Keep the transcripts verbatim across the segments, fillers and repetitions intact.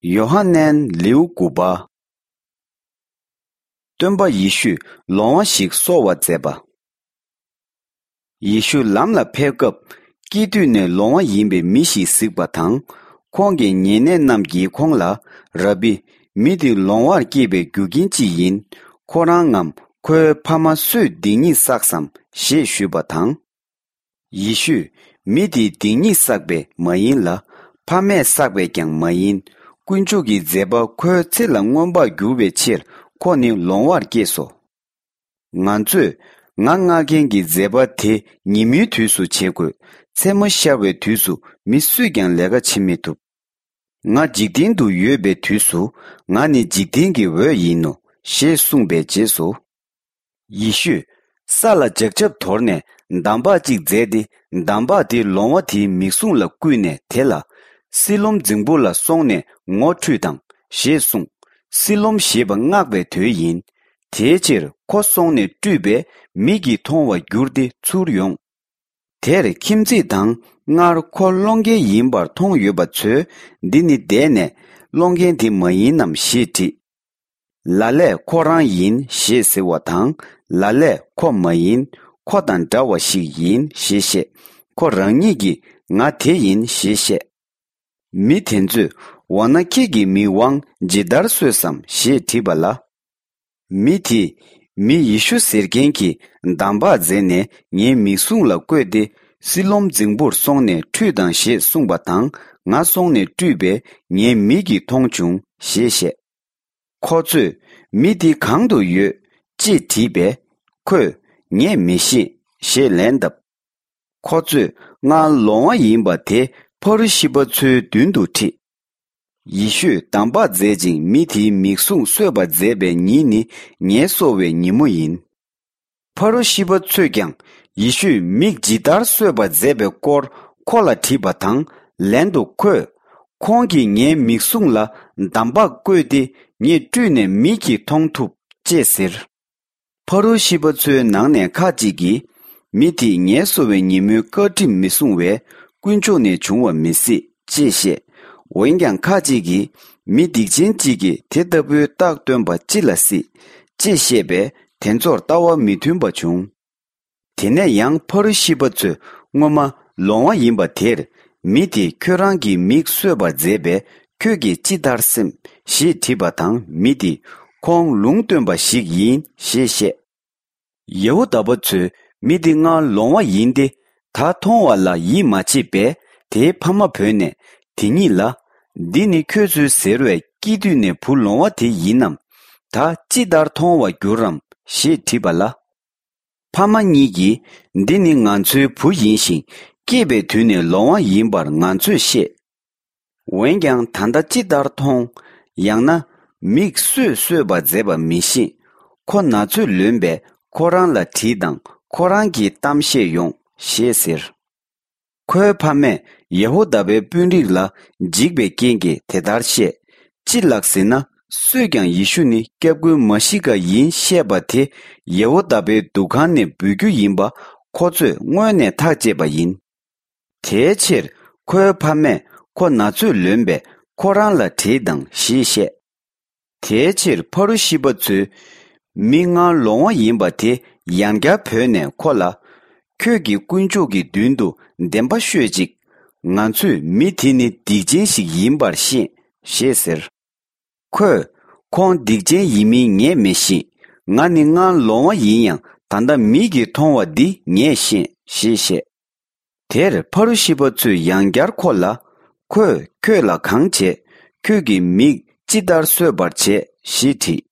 ཡོ་ཧ་ནན་ལེའུ་དགུ་པ། སྟོན་པ་ཡེ་ཤུས་ལོང་བ་ཞིག་གསོ་བར་མཛད་པ། ཡེ་ཤུ་ལམ་ལ་ཕེབས་སྐབས། སྐྱེས་དུས་ནས་ལོང་བ་ཡིན་པའི་མི་ཞིག་གཟིགས་པ་དང་། ཁོང་གི་ཉེ་གནས་རྣམས་ཀྱིས་ཁོང་ལ། ར་བི། མི་འདི་ལོང་བར་སྐྱེས་པའི་རྒྱུ་རྐྱེན་ཅི་ཡིན། ཁོ་རང་ངམ་ཁོའི་ཕ་མ་སུས་སྡིག་ཉེས་བསགས་སམ་ཞེས་ཞུས་པ་དང་། ཡེ་ཤུས། མི་དེས་སྡིག་ཉེས་བསགས་པས་མ་ཡིན་ལ། ཕ་མས་བསགས་པས་ཀྱང་མ་ཡིན། དཀོན་མཆོག་གི་མཛད་པ་ཁོའི་ཚེ་ལ་མངོན་པར་འགྱུར་བའི་ཕྱིར་ཁོ་ནི་ལོང་བར་སྐྱེས་སོ། ང་ཚོས་ང་མངགས་མཁན་གྱི་མཛད་པ་དེ་ཉིན་མོའི་དུས་སུ་བྱེད་དགོས། མཚན་མོ་ཤར་བའི་དུས་སུ་མི་སུས་ཀྱང་ལས་ཀ་བྱེད་མི་ཐུབ། ང་འཇིག་རྟེན་དུ་ཡོད་པའི་དུས་སུ། ང་ནི་འཇིག་རྟེན་གྱི་འོད་ཡིན་ནོ། ཞེས་གསུངས་པའི་རྗེས་སུ། ཡེ་ཤུས། ས་ལ་ལྗགས་ཆབ་དོར་ནས་འདམ་བག་ཅིག་མཛད་དེ། འདམ་བག་དེ་ལོང་བ་དེའི་མིག་ཟུང་ལ་བརྐུས་ནས་དེ་ལ། སི་ལོམ་རྫིང་བུ་ལ་སོང་ནས་ངོ་ཁྲུས་དང་། ཞེས་གསུངས། སི་ལོམ་ཞེས་པ་སྔགས་པའི་དོན་ཡིན། དེའི་ཕྱིར་ཁོ་སོང་ནས་བཀྲུས་པས་མིག་གིས་མཐོང་བར་གྱུར་ཏེ་ཚུར་ཡོང་། དེར་ཁྱིམ་མཚེས་དང་སྔར་ཁོ་སློང་མཁན་ཡིན་པར་མཐོང་ཡོད་པ་ཚོས། འདི་ནི་འདས་ནས་སློང་མཁན་དེ་མ་ཡིན་ནམ་ཞེས་དྲིས། ལ་ལས་ཁོ་རང་ཡིན་ཞེས་ཟེར་བ་དང་། ལ་ལས་ཁོ་མ་ཡིན། ཁོ་དང་འདྲ་བ་ཞིག་ཡིན་ཞེས་བཤད། ཁོ་རང་ཉིད་ཀྱིས་ང་དེ་ཡིན་ཞེས་བཤད། མི་དེ་ཚོས་འོ་ན་ཁྱེད་ཀྱིས་མི་དབང་ཇི་ལྟར་གསོས་སམ་ཞེས་དྲིས་པ་ལ། མི་དེས། མི་ཡེ་ཤུ་ཟེར་མཁན་གྱིས་འདམ་བག་མཛད་ནས་ངའི་མིག་ཟུང་ལ་བཀོད་དེ། སི་ལོམ་རྫིང་བུར་སོང་ནས་ཁྲུས་དང་ཞེས་གསུངས་པ་དང་། ང་སོང་ནས་བཀྲུས་པས་ངའི་མིག་གིས་མཐོང་བྱུང་ཞེས་བཤད། ཁོ་ཚོས། མི་འདི་གང་དུ་ཡོད། ཅེས་དྲིས་པས། ཁོས། ངས་མི་ཤེས། ཞེས་ལན་བཏབ། ཁོ་ཚོས་སྔར་ལོང་བ་ཡིན་པ་དེ་ཕ་རུ་ཤི་པ་ཚོའི་མདུན་དུ་ཁྲིད། ཡེ་ཤུས་འདམ་བག་མཛད་ཅིང་མི་དེའི་མིག་ཟུང་གསོས་པར་མཛད་པའི་ཉིན་ནི་ངལ་གསོ་བའི་ཉིན་མོ་ཡིན། ཕ་རུ་ཤི་པ་ཚོས་ཀྱང་ཡེ་ཤུས་མིག་ཇི་ལྟར་གསོས་པར་མཛད་པའི་སྐོར་ཁོ་ལ་དྲིས་པ་དང་། ལན་དུ་ཁོས། ཁོང་གིས་ངའི་མིག་ཟུང་ལ་འདམ་བག་བཀོད་དེ་ངས་བཀྲུས་ནས་མིག་གིས་མཐོང་ཐུབ་ཅེས་ཟེར། ཕ་རུ་ཤི་པ་ཚོའི་ནང་ནས་ཁ་ཅིག་གིས། མི་དེས་ངལ་གསོ་བའི་ཉིན་མོའི་བཀའ་ཁྲིམས་མི་སྲུང་བས་དཀོན་མཆོག་ནས་བྱུང་བ་མི་སྲིད་ཅེས་བཤད། འོན་ཀྱང་ཁ་ཅིག་གིས། མི་སྡིག་ཅན་གཅིག་གིས་དེ་ལྟ་བུའི་རྟགས་སྟོན་པ་ཅི་ལ་སྲིད་ཅེས་བཤད་པས་དེ་ཚོར་ལྟ་བ་མི་མཐུན་པ་བྱུང་། དེ་ནས་ཡང་ཕ་རུ་ཤི་པ་ཚོས་སྔོན་མ་ལོང་བ་ཡིན་པ་དེར། མི་དེས་ཁྱོད་རང་གི་མིག་གསོས་པར་མཛད་པས་ཁྱོད་ཀྱིས་ཅི་ལྟར་སེམས་ཞེས་དྲིས་པ་དང་། མི་དེས་ཁོང་ལུང་སྟོན་པ་ཞིག་ཡིན་ཞེས་བཤད། ཡེ་ཧུ་དཱ་པ་ཚོས་མི་འདི་སྔར་ལོང་བ་ཡིན་ཏེ། ད་མཐོང་བ་ལ་ཡིད་མ་ཆེས་པས་དེའི་ཕ་མ་བོས་ནས་དེ་ཉིད་ལ། འདི་ནི་ཁྱོད་ཚོས་ཟེར་བའི་སྐྱེས་དུས་ནས་བུ་ལོང་བ་དེ་ཡིན་ནམ། ད་ཅི་ལྟར་མཐོང་བར་འགྱུར་རམ་ཞེས་དྲིས་པ་ལ། ཕ་མ་གཉིས་ཀྱིས། འདི་ནི་ང་ཚོའི་བུ་ཡིན་ཞིང་སྐྱེས་པའི་དུས་ནས་ལོང་བ་ཡིན་པར་ང་ཚོས་ཤེས། འོན་ཀྱང་ད་ལྟ་ཅི་ལྟར་མཐོང་། ཡང་ན། མིག་སུས་གསོས་པར་མཛད་པ་མི་ཤེས། ཁོ་ན་ཚོད་ལོན་པས་ཁོ་རང་ལ་དྲིས་དང་ཁོ་རང་གིས་གཏམ་བཤད་ཡོང་ཞེས་ཟེར། ཁོའི་ཕ་མས་ཡེ་ཧུ་དཱ་པའི་དཔོན་རིགས་ལ་འཇིགས་པའི་རྐྱེན་གྱིས་དེ་ལྟར་བཤད། ཅི་ལགས་ཟེར་ན། སུས་ཀྱང་ཡེ་ཤུ་ནི་སྐྱབས་མགོན་མ་ཤི་ཀ་ཡིན་བཤད་པ་དེ་ཡེ་ཧུ་དཱ་པའི་འདུ་ཁང་ནས་འབུད་རྒྱུ་ཡིན་པ་ཁོ་ཚོས་སྔོན་ནས་ཐག་བཅད་པ་ཡིན། དེའི་ཕྱིར་ཁོའི་ཕ་མས་ཁོ་ན་ཚོད་ལོན་པས་ཁོ་རང་ལ་དྲིས་དང་ཞེས་བཤད། དེའི་ཕྱིར་ཕ་རུ་ཤི་པ་ཚོས། མི་སྔར་ལོང་བ་ཡིན་པ་དེ་ཡང་བསྐྱར་བོས་ནས་ཁོ་ལ། ཁྱོད་ཀྱིས་དཀོན་མཆོག་གི་མདུན་དུ་བདེན་པ་ཤོད་ཅིག། ང་ཚོས་མི་དེ་ནི་སྡིག་ཅན་ཞིག་ཡིན་པར་ཤེས་ཞེས་ཟེར། ཁོས། ཁོང་སྡིག་ཅན་ཡིན་མིན་ངས་མི་ཤེས། ང་ནི་སྔར་ལོང་བ་ཡིན་ཡང་ད་ལྟ་མིག་གིས་མཐོང་བ་འདི་ངས་ཤེས་ཞེས་བཤད། དེར་ཕ་རུ་ཤི་པ་ཚོས་ཡང་བསྐྱར་ཁོ་ལ། ཁོས་ཁྱོད་ལ་གང་བྱས། ཁྱོད་ཀྱི་མིག་ཅི་ལྟར་གསོས་པར་བྱས་ཞེས་དྲིས།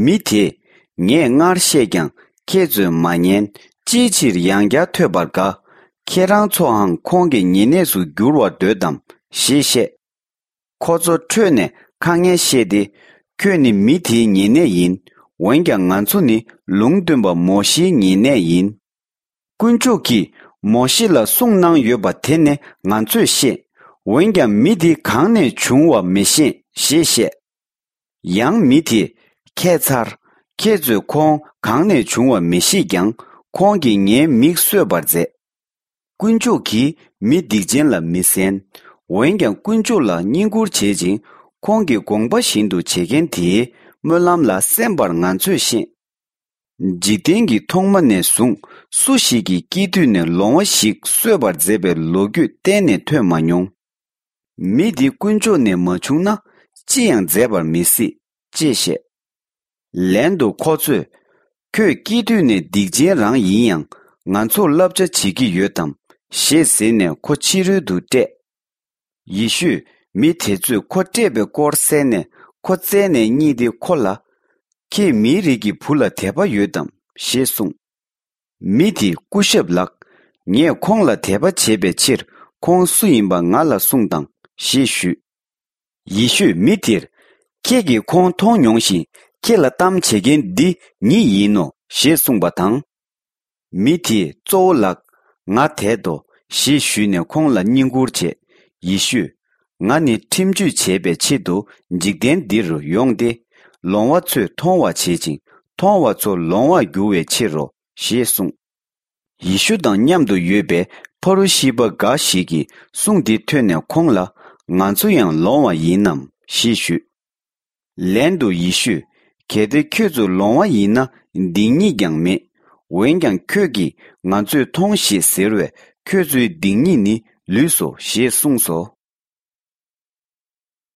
མི་དེས། ངས་སྔར་བཤད་ཀྱང་ཁྱེད་ཚོས་མ་ཉན། ཅིའི་ཕྱིར་ཡང་བསྐྱར་ཐོས་པར་དགའ། ཁྱེད་རང་ཚོའང་ཁོང་གི་ཉེ་གནས་སུ་འགྱུར་བར་འདོད་དམ་ཞེས་བཤད། ཁོ་ཚོ་ཁྲོས་ནས་ཁ་ངན་བཤད་དེ། ཁྱོད་ནི་མི་དེའི་ཉེ་གནས་ཡིན། འོན་ཀྱང་ང་ཚོ་ནི་ལུང་སྟོན་པ་མོ་ཤེའི་ཉེ་གནས་ཡིན། དཀོན་མཆོག་གིས་མོ་ཤེ་ལ་གསུངས་གནང་ཡོད་པ་དེ་ནི་ང་ཚོས་ཤེས། འོན་ཀྱང་མི་དེ་གང་ནས་བྱུང་བ་མི་ཤེས་ཞེས་བཤད། ཡང་མི་དེས། ཁྱད་མཚར། ཁྱེད་ཚོས་ཁོང་གང་ནས་བྱུང་བ་མི་ཤེས་ཀྱང་ཁོང་གིས་ངའི་མིག་གསོས་པར་མཛད། དཀོན་མཆོག་གིས་མི་སྡིག་ཅན་ལ་མི་གསན། འོན་ཀྱང་དཀོན་མཆོག་ལ་བསྙེན་བཀུར་བྱེད་ཅིང་ ཁོང་གི་དགོངས་པ་བཞིན་དུ་བྱེད་མཁན་དེའི་སྨོན་ལམ་ལ་གསན་པར་ང་ཚོས་ཤེས། འཇིག་རྟེན་གྱི་ཐོག་མ་ནས་བཟུང་སུ་ཞིག་གིས་སྐྱེས་དུས་ནས་ལོང་བ་ཞིག་གསོད་པར་མཛད་པའི་ལོ་རྒྱུས་གཏན་ནས་ཐོས་མ་མྱོང་། མི་འདི་དཀོན་མཆོག་ནས་མ་བྱུང་ན་ཅི་ཡང་མཛད་པར་མི་སྲིད་ཅེས་བཤད། ལན་དུ་ཁོ་ཚོས། ཁྱོད་སྐྱེས་དུས་ནས་སྡིག་ཅན་རང་ཡིན་ཡང་ང་ཚོར་བསླབ་བྱ་བྱེད་ཀྱི་ཡོད་དམ་ཞེས་ཟེར་ནས་ཁོ་ཕྱི་རོལ་དུ་བསྐྲད། ཡེ་ཤུས་མི་དེ་ཚོས་ཁོ་བསྐྲད་པའི་སྐོར་གསན་ནས་ཁོ་བཙལ་ནས་རྙེད་དེ་ཁོ་ལ། ཁྱེད་མིའི་རིགས་ཀྱི་བུ་ལ་དད་པ་ཡོད་དམ་ཞེས་གསུངས། མི་དེས་སྐུ་ཞབས་ལགས། ངས་ཁོང་ལ་དད་པ་བྱེད་པའི་ཕྱིར་ཁོང་སུ་ཡིན་པ་ང་ལ་གསུངས་དང་ཞེས་ཞུས། ཡེ་ཤུས་མི་དེར། ཁྱེད་ཀྱིས་ཁོང་མཐོང་མྱོང་ཞིང་ཁྱེད་ལ་གཏམ་བྱེད་མཁན་འདི་ཉིད་ཡིན་ནོ་ཞེས་གསུངས་པ་དང་། མི་དེས་གཙོ་བོ་ལགས། ང་དད་དོ་ཞེས་ཞུས་ནས་ཁོང་ལ་བསྙེན་བཀུར་བྱས། ཡེ་ཤུས། ང་ནི་ཁྲིམས་གཅོད་བྱེད་པའི་ཆེད་དུ་འཇིག་རྟེན་འདིར་ཡོང་སྟེ། ལོང་བ་ཚོས་མཐོང་བར་བྱེད་ཅིང་མཐོང་བ་ཚོ་ལོང་བར་འགྱུར་བའི་ཕྱིར་རོ་ཞེས་གསུངས། ཡེ་ཤུ་དང་མཉམ་དུ་ཡོད་པའི་ཕ་རུ་ཤི་པ་འགའ་ཞིག་གིས་གསུང་འདི་ཐོས་ནས་ཁོང་ལ། ང་ཚོ་ཡང་ལོང་བ་ཡིན་ནམ་ཞེས་ཞུས། ལན་དུ་ཡེ་ཤུས། གལ་ཏེ་ཁྱོད་ཚོ་ལོང་བ་ཡིན་ན་སྡིག་ཉེས་ཀྱང་མེད། འོན་ཀྱང་ཁྱོད་ཀྱིས་ང་ཚོས་མཐོང་ཞེས་ཟེར་བས་ཁྱོད་ཚོའི་སྡིག་ཉེས་ནི་ལུས་སོ་ཞེས་གསུངས་སོ།